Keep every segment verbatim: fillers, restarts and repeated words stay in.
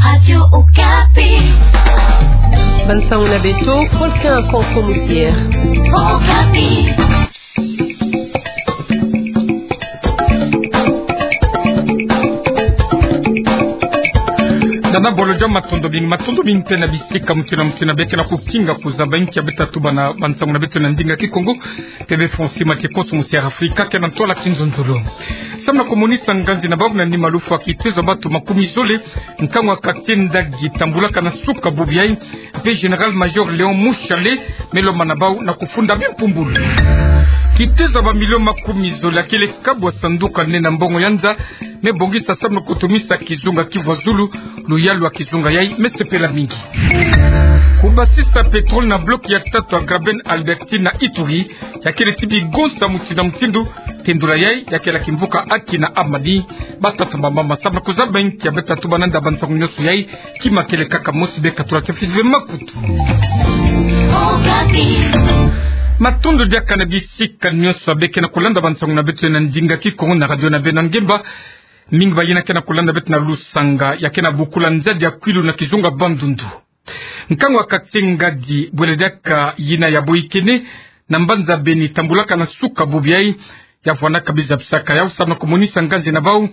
Radio Okapi. Bansango na beto, Faustin Akonso Musier. Okapi. Nana bolo dia matondo mingi, matondo mingi mpe na bisika mutindu na mutindu beke na kukinga kuzaba inki ya beta tuba na bansango na beto na ndinga Kikongo. P B Francis Mate Konso Musier Afrika ke na ntwala kinzonzolo. Samu na kumonisa nganzi na bau na nima lufwa kitezo ya bantu makumi zole, nkangu ya quartier Ndagi tambulaka na suka bubu yai, mpe Général-Major Léon Mushale me lomba na bau na kufunda bimpumbulu. Kitezo ya bamilio makumi zole ya kele kabwa sanduka nene ya mbongo ya nza me bongisa samu na kutumisa kizunga Kivu ya Zulu, luyalu ya kizunga yai me sepela mingi. Kubasisa pétrole na bloc ya tatu ya Graben Albertine na Ituri, ya kele ti bigonsa mutindu na mutindu, tendula yai ya kele kimvuka Aki na Amani. Batata, bamama, samu na kuzaba inki ya beta tuba na nda bansango nyonso yai, kima kele kaka mosi, beka tula tefiti ve makutu. Matondo diaka na bisika nyonso beke na kulanda bansango na beto na ndinga Kikongo na radio na beno ya ngemba. Mingi bayina ke na kulanda beto na lusanga ya ke na bukula nzadi ya Kwilu na kizunga Bandundu. Nkangu ya quartier Ngadi, bwele diaka yina ya Boyikene, na mbanza Beni, tambulaka na suka bubu yai, ya vwandaka biza bisaka yau samu na kumonisa nganzi na bau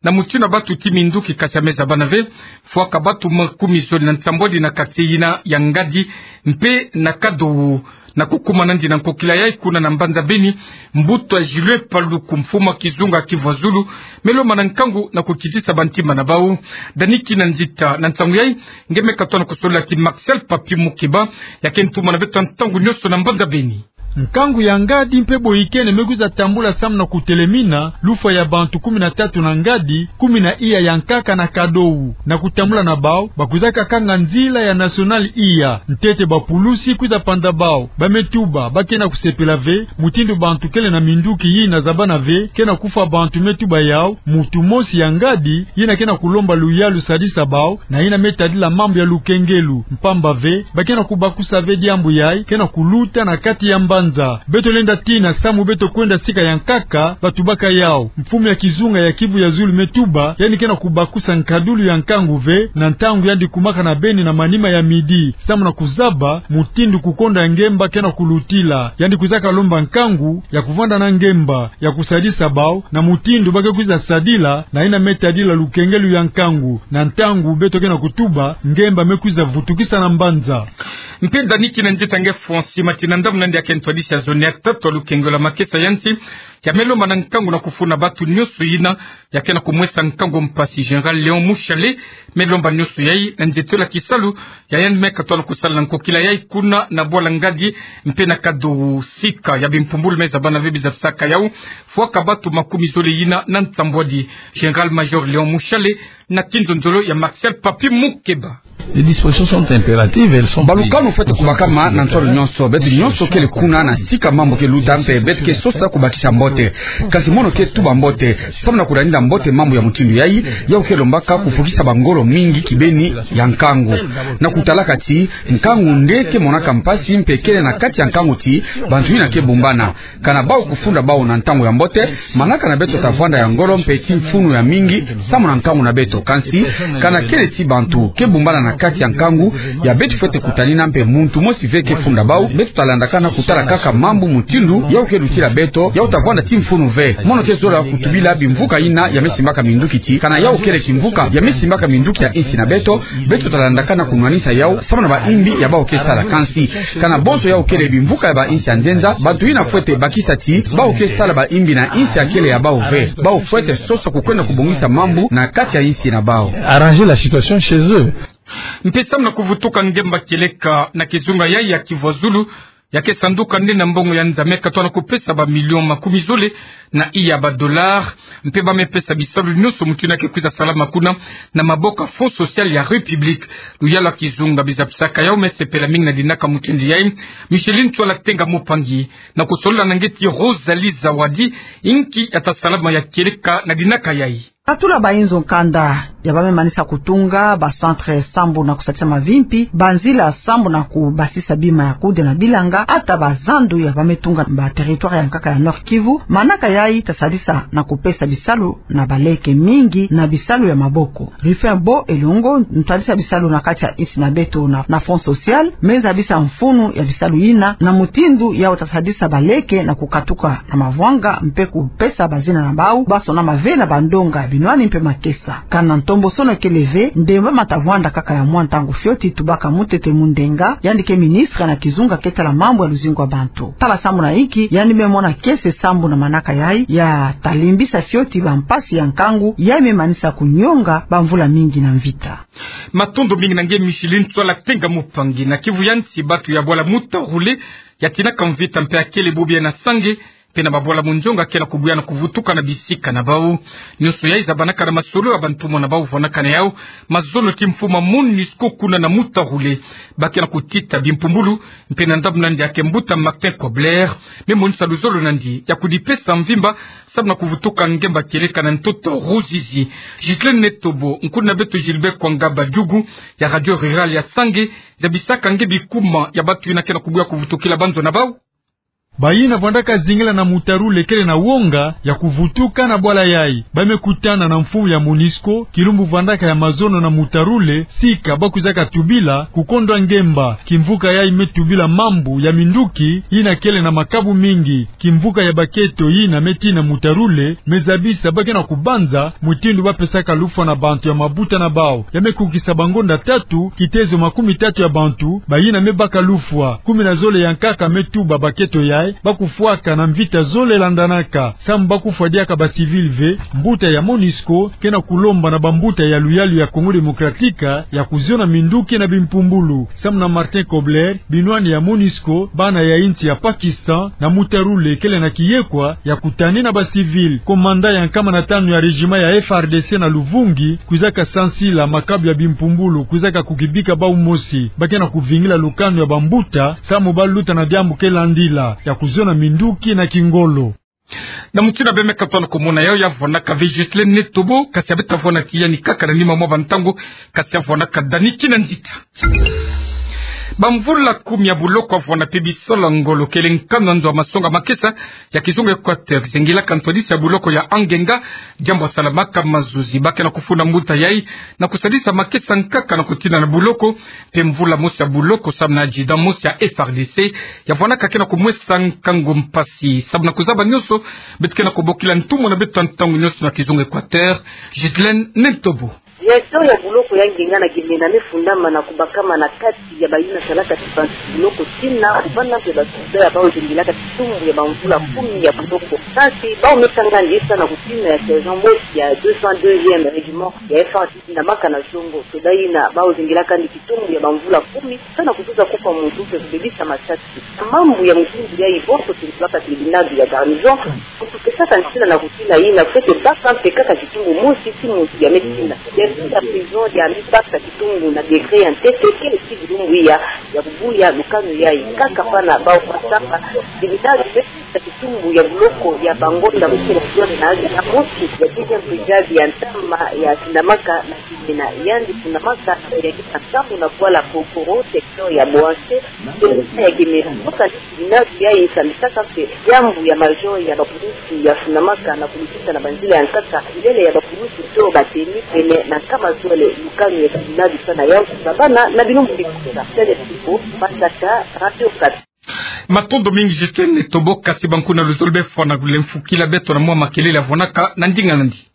na mutindu ya bantu ti minduki, kasi ya me zabana ve. Fwaka bantu makumi zole na nsambwadi na quartier yina ya Ngadi mpe na Kadowo, na kukumana ndi na nkokila yai kuna na mbanza Beni, mbuta Julien Paluku, mfumu ya kizunga Kivu ya Zulu, me lomba na nkangu na kukitisa bantima na bau. Dani Kinanzita, na nsangu yai nge me katoa na kusolila ti Marcel Papi Mukeba, ya ke ntumwa na beto ntangu nyonso na mbanza Beni. Nkangu ya Ngadi mpe Boyikene me kwiza tambula samu na kutelemina lufwa ya bantu kumi na tatu na Ngadi, kumi na iya ya nkaka na Kadowo. Na kutambula na bau, bakwizaka kanga nzila ya nationale iya, ntete bapulusi kwiza panda bau. Ba me tuba ba ke na kusepela ve mutindu bantu kele na minduki yina zabana ve ke na kufwa bantu. Me tuba yau mutu mosi ya Ngadi yina ke na kulomba luyalu sadisa bau, na yina me tadila mambu ya lukengelu, mpamba ve ba ke na kubakusa ve diambu yai ke na kuluta na kati ya mbanza. Beto lenda tina samu beto kwenda sika ya nkaka batubaka yau. Mfumu ya kizunga ya Kivu ya Zulu me tuba yandi ke na kubakusa nkadulu ya nkangu ve na ntangu yandi kumaka na Beni na manima ya midi, samu na kuzaba mutindu kukonda ya ngemba ke na kulutila. Yandi kwizaka lomba nkangu ya kuvwanda na ngemba ya kusadisa bau na mutindu ba ke kwiza sadila, na yina me tadila lukengelu ya nkangu. Na ntangu beto ke na kutuba, ngemba me kwiza vutukisa na mbanza. Mpe Dani Kinanzita, nge Francis Mate, na ndambu na nde ya ke ntwadisi ya zone ya tatu ya lukengelu ya makesa ya nsi, ya me lomba na nkangu na kufuna bantu nyonso yina ya ke na kumwesa nkangu mpasi, Général Léon Mushale, me lomba nyonso yai na nzietolo ya kisalu ya yandi me katoa na kusala na nkokila yai kuna na bwala Ngadi mpe na Kadowo. Sika ya bimpumbulu me zabana ve biza bisaka yau, fwaka bantu makumi zole yina na nsambwadi, Général-Major Léon Mushale, na kinzonzolo ya Marcel Papi Mukeba. Les dispositions sont impératives, elles sont prises. Balukanu fwete kubakama na ntwala nyonso. Beto nyonso kele kuna na sika mambu ke luta mpe beto ke sosa kubakisa mbote. Kasi mono ke tuba mbote, samu na kudanila mbote mambu ya mutindu yai, yau ke lombaka kufukisa bangolo mingi kibeni ya nkangu. Na kutalaka ti nkangu nde ke monaka mpasi mpe kele na kati ya nkangu ti bantu yina ke bumbana. Kana bau kufunda bau na ntangu ya mbote, manaka na beto ta vwanda ya ngolo mpe ti mfunu ya mingi samu na nkangu na beto. Kansi kana kele ti bantu ke bumbana na kati ya nkangu, ya beto fwete kutanina mpe muntu mosi ve ke funda bau, beto ta landakana kutala kaka mambu mutindu yau ke lutila beto, yau ta vwanda ti mfunu ve. Mono ke zola kutubila bimvuka yina ya me simbaka minduki ti kana yau kele kimvuka ya me simbaka minduki ya insi na beto, beto ta landakana kunwanisa yau samu na baimbi ya bau ke sala. Kansi kana bonso yau kele bimvuka ya bainsi ya nzenza, bantu yina fwete bakisa ti bau ke sala baimbi na insi ya kele ya bau ve. Bau fwete sosa kukwenda kubongisa mambu na kati ya insi na bau. Arranger la situation chez eux. Mpe samu na kuvutuka ngemba kieleka na kizunga yai ya Kivu ya Zulu, ya ke sanduka nde na mbongo ya nza me katoa na kupesa bamilio makumi zole na iya ba dollars, mpe ba me pesa bisalu nyonso mutu yina ke kwiza salama kuna na maboko ya Fonds Social ya République. Luyalu ya kizunga biza bisaka yau me sepela mingi na dinaka mutindu yai. Micheline Ntwala Tenga Mupangi, na kusolola na nge ti Rosalie Zawadi, inki ya ta salama ya kieleka na dinaka yai. Katula ba inzo nkanda. Ya ba me manisa kutunga ba centre sambu na kusadisa mavimpi, ba nzila sambu na kubasisa bima ya kude na bilanga, ata ba zandu ya ba me tunga ba territoire ya nkaka ya Nord-Kivu. Manaka yayi ta sadisa na kupesa bisalu na baleke mingi na bisalu ya maboko. Rufin Bo Elongo, ntwadisa bisalu na kati ya insi na beto na, na Fonds Social, me zabisa mfunu ya bisalu yina na mutindu yawu ta sadisa baleke na kukatuka na mavwanga mpe kupesa bazina na bawu ba sonama ve na bandonga ya binwani mpe makesa. Kana ntombosono kele ve, ndemba ma ta vwanda kaka ya mwa ntangu fioti, tubaka Mutete Mundenga, yandi ke ministre na kizunga ke tala mambu ya luzingu ya bantu. Tala sambu na inki yandi me mona kiese sambu na manaka yayi, ya ta limbisa fioti ba mpasi ya nkangu yayi me manisa kunyonga ba mvula mingi na mvita. Matondo mingi na nge Micheline Tswala Tenga Mupangi. Na Kivu ya nsi, batu ya bwala Mutarule ya tinaka mvita mpe ya kele bubu ya na Sange mpe na babwala Munjonga ke na kubuya na kuvutuka na bisika na bawu. Nionso yayi zabanaka na masolo ya bantumwa na bawu vwanaka na yawu mazono ti mfumu a MONUSCO kuna na Mutarule. Ba ke na kutita bimpumbulu mpe na ndambu na ndia ke mbuta Martin Kobler me monisa luzolo na ndia ya kudipesa mvimba samu na kuvutuka ngemba kieleka na ntoto Ruzizi. Ghislaine Netobo, nkuna beto Gilbert Kwangaba Djugu ya Radio Rurale ya Sange, zabisaka nge bikuma ya batu yina ke na kubuya kuvutukila banzo na bawu. Bayina vwandaka zingila na Mutarule kele na wonga ya kuvutuka na bwala yayi. Ba me kutana na mfumu ya MONUSCO kilumbu vwandaka ya mazono na Mutarule, sika ba kwizaka tubila kukondwa ngemba. Kimvuka yayi me tubila mambu ya minduki yina kele na makabu mingi. Kimvuka ya baketo yina me tina Mutarule me zabisa ba ke na kubanza mutindu ba pesaka lufwa na bantu ya mabuta na bawu. Ya me kukisa bangonda tatu, kitezo makumi tatu ya bantu bayina me baka lufwa. Kumi na zole ya nkaka me tuba baketo yayi ba kufwaka na mvita zole landanaka. Samu ba kufwa diaka ba civil ve, mbuta ya MONUSCO ke na kulomba na bambuta ya luyalu ya Congo Démocratique ya kuziona minduki na bimpumbulu. Samu na Martin Kobler, binwani ya MONUSCO, bana ya insi ya Pakistan na Mutarule kele na kiyekwa ya kutani na ba civil. Komanda ya nkama na tanu ya régiment ya F R D C na Luvungi kwizaka sansila makabu ya bimpumbulu kwizaka kukibika bawu mosi. Ba ke na kuvingila lukanu ya bambuta samu ba luta na diambu ke landila ya kuziona minduki na kingolo. Na mutindu ya be me katuka na kumona yawu, ya vwanaka ve Ghislaine Netobo, kasi ya be ta vwana ti yandi kaka na nima mwa bantangu, kasi ya vwanaka Dani Kinanzita. Bamvula kumi ya buloko ya vwana mpe bisalu ya ngolo kele nkanu ya nzo ya masonga makesa ya kizunga Equateur zengilaka ntwadisi ya buloko ya Angenga, diambu ya salamaka mazuzi. Ba ke na kufunda mbuta yayi na kusadisa makesa nkaka na kutina na buloko, mpe mvula mosi ya buloko samu na adjudant mosi ya F R D C ya vwanaka ke na kumwesa nkangu mpasi. Samu na kuzaba nionso, beto ke na kubokila ntumwa na beto ya ntangu nionso na kizunga Equateur, Ghislaine Netobo. Directeur ya buloko ya Angenga na Gemena me fundama na kubakama na kati ya bayina salaka ti bantu buloko tina kuvanda mpe basoda ya bawu zengilaka kitumbu ya bamvula kumi ya buloko. Kasi bawu me kanga ndiesa na kutina ya sergent mosi ya deux cent deuxième régiment ya F R D C na maka na zongo. Soda yina bawu zengilaka ndi kitumbu ya bamvula kumi, sa na kutusa kufa muntu mpe kubebisa masasi. Mambu ya mutindu yayi bonso tintulaka tribunal ya garnison, kutukesaka ntina na kutina yina, fwete baka mpe kaka kitumbu mosi ti muntu ya me tina. Directeur ya prison ya me baka kitumbu na décret ya ntete, kele ti bilumbu iya ya kubuya lukanu yayi. Kaka pana bawu kwa samba, tribunal me kitumbu ya buloko ya bangonda mosi na zole na azi na mosi ya dixième brigade ya ntama ya Kinamaka na Kimina, yandi fundamaka na kuyakisa nsambu na bwala Kokoro, secteur ya Boanse, territoire ya Gemena. Mboka ni tribunal yayi sambisaka mpe diambu ya major ya bapulusi ya fundamaka na kulutisa na banzila ya nkaka mbele ya bapulusi to ba tenue pene na nkama zole. Lukanu ya tribunal sa na yawu zabana na bilumbu bikusa. Tele Tibo, Matata, Radio Okapi. Matondo mingi Ghislaine Netobo, kasi bankuna luzolo be fwana kulemfukila beto na mwa makelele ya vwanaka na ndinga nandi.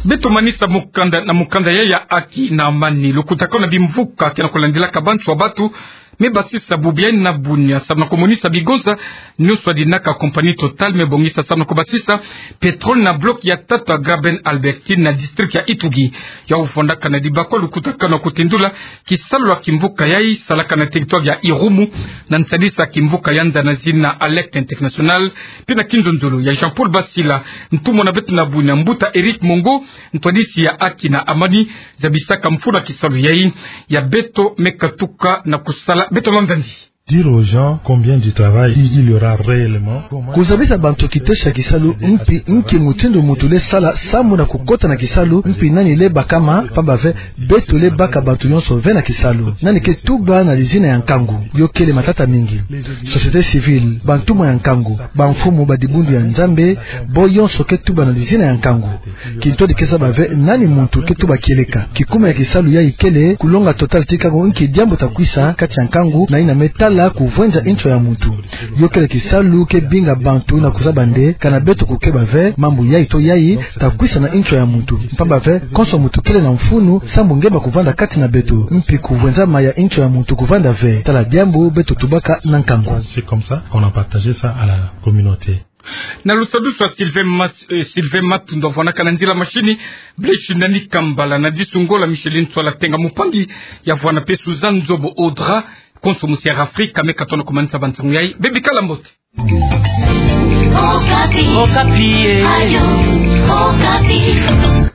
Beto manisa mukanda na mukanda ya ya Aki na Amani. Lukutakanu na bimvuka ke na kulandilaka bantu wa batu, me basisa bubu ya ina bunia samu na kumonisa bigonza nionso ya dinaka compagnie Total me bongisa samu na kubasisa pétrole na bloc ya tatu ya Graben Albertine na district ya Ituri. Yawu vwandaka na dibakwa lukutakanu na kutindula kisalu ya kimvuka yayi salaka na territoire ya Irumu, na nsadisa kimvuka ya nza na zina Alerte International, mpe na kinzonzolo ya Jean-Paul Basila, ntumwa na beto na bunia, mbuta Eric Mongo, ntwadisi ya Aki na Amani, zabisaka mfunu ya kisalu yayi. Ya beto me katuka na kusala, beto landa ndi. Dire aux gens combien de travail il y aura réellement. Kozabisa bantu kiteso ya kisalu, mpi nki mutindu muntu le sala sambu na kukota na kisalu, mpi nani le bakama, pamba ve beto le baka bantu nyonso ve na kisalu. Nani ke tuba na lizina ya nkangu? Yo kele matata mingi. Société civile, bantumwa ya nkangu, bamfumu, badibundu ya Nzambi, bo yonso ke tuba na lizina ya nkangu. Kintwadi ke zaba ve nani muntu ke tuba kieleka. Kikuma ya kisalu yayi kele kulonga Total ti kangu nki diambu ta kwisa kati ya nkangu, na yina me tala kuvwenza nzo ya muntu. Yo kele kisalu ke binga bantu na kuzaba nde kana beto kukeba ve mambu yayi to yayi ta kwisa na nzo ya muntu. Pamba ve konso muntu kele na mfunu sambu nge ba kuvanda kati na beto, mpi kuvwenza ma ya nzo ya muntu kuvanda ve. Tala diambu beto tubaka na nkangu. C'est comme ça qu'on a partagé ça à la communauté. Na lusadusu ya Sylvain Mat-, eh, Sylvain Matundwa, vwanaka na nzila mashini, Blaise Nani Kambala, na disu ngolo Micheline Tswala Tenga, mupangi ya vwana mpe Suzanne Nzobo Audra, konso musi Air Afrique, ka me katono kumanisa bansangu yayi. Bebikala mbote. Okapi. Okapi, eh. Radio Okapi.